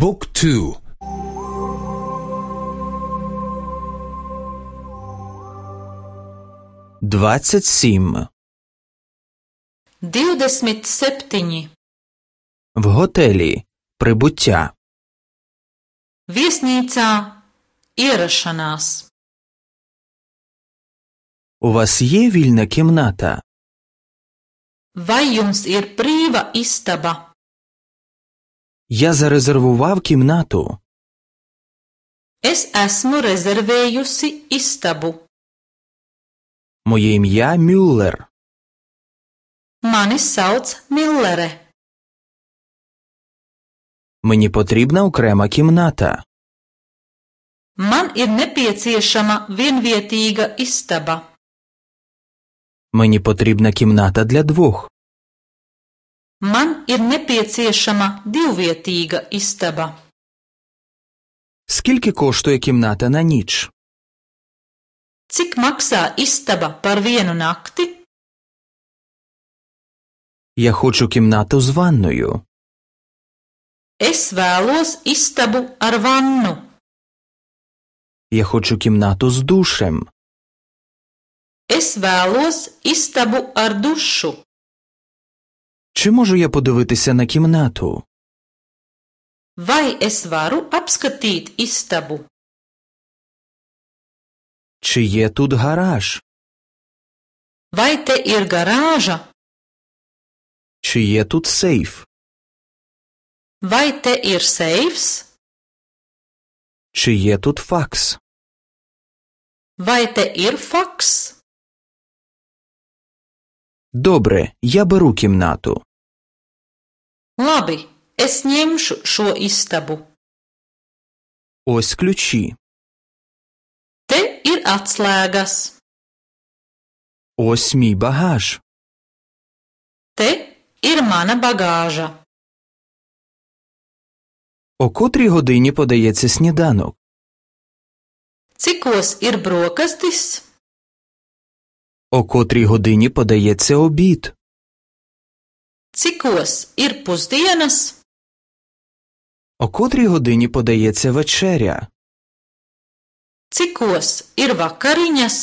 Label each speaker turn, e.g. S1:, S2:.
S1: บุ๊กทู27 В готелі. Прибуття.
S2: Viesnīcā ierašanās.
S1: У вас є вільна кімната?
S2: Vai jums ir brīva istaba?
S1: Я зарезервував кімнату.
S2: Es esmu rezervējusi istabu.
S1: Моє ім'я Мюллер.
S2: Mani sauc Millere.
S1: Мені потрібна окрема кімната.
S2: Man ir nepieciešama vienvietīga istaba.
S1: Мені потрібна кімната для двох.
S2: Man ir nepieciešama divvietīga istaba.
S1: Скільки коштує кімната на ніч?
S2: Cik maksā istaba par vienu nakti?
S1: Я хочу кімнату з ванною.
S2: Es vēlos istabu ar vannu.
S1: Я хочу кімнату з душем.
S2: Es vēlos istabu ar dušu.
S1: Чи можу я подивитися на кімнату?
S2: Vai es varu apskatīt istabu?
S1: Чи є тут гараж?
S2: Vai te ir garāža?
S1: Чи є тут сейф?
S2: Vai te ir seifs?
S1: Чи є тут факс?
S2: Vai te ir faks?
S1: Добре, я беру кімнату.
S2: Labi, es ņemšu šo istabu.
S1: Ось ключі.
S2: Te ir atslēgas.
S1: Ось мій багаж.
S2: Te ir mana bagāža.
S1: О котрій годині подається сніданок?
S2: Cikos ir brokastis?
S1: О котрій годині подається обід?
S2: Cikos ir pusdienas?
S1: О котрій годині подається вечеря?
S2: Cikos ir vakariņas?